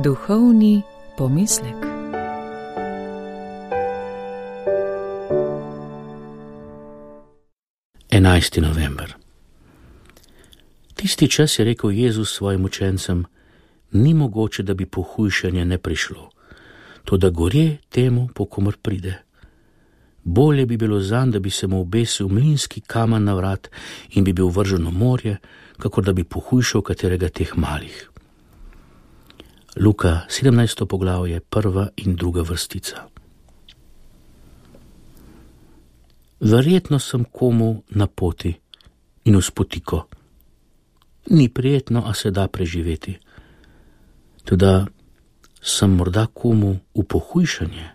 Duhovni pomislek. Enajsti november. Tisti čas je rekel Jezus svojim učencem: ni mogoče, da bi pohujšanje ne prišlo, toda gorje temu, po komer pride. Bolje bi bilo zanj, da bi se mu obesil mlinski kamen na vrat in bi bil vržen v morje, kakor da bi pohujšal katerega teh malih. Luka 17. poglavje, 1. in 2. vrstica. Verjetno sem komu na poti in v spotiko. Ni prijetno, a se da preživeti. Toda sem morda komu v pohujšanje.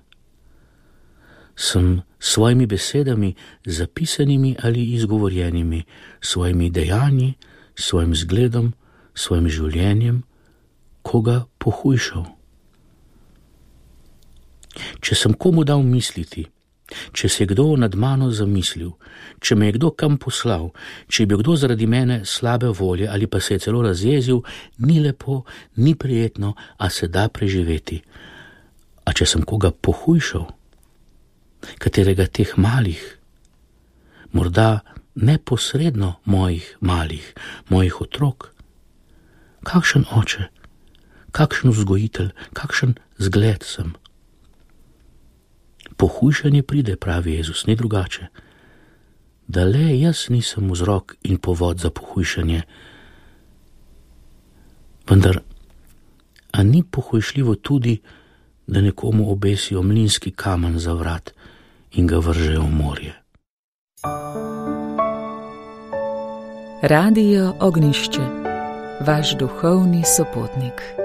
Sem s svojimi besedami, zapisanimi ali izgovorjenimi, svojimi dejanji, svojim zgledom, svojim življenjem, koga pohujšal. Če sem komu dal misliti, če se je kdo nad mano zamislil, če me je kdo kam poslal, če je bil kdo zaradi mene slabe volje ali pa se je celo razjezil, ni lepo, ni prijetno, a se da preživeti. A če sem koga pohujšal, katerega teh malih, morda neposredno mojih malih, mojih otrok, kakšen oče, kakšen vzgojitelj, kakšen zgled sem. Pohujšanje pride, pravi Jezus, ni drugače. Da le jaz nisem vzrok in povod za pohujšanje. Vendar, a ni pohujšljivo tudi, da nekomu obesijo mlinski kamen za vrat in ga vržejo v morje? Radio Ognjišče, vaš duhovni sopotnik.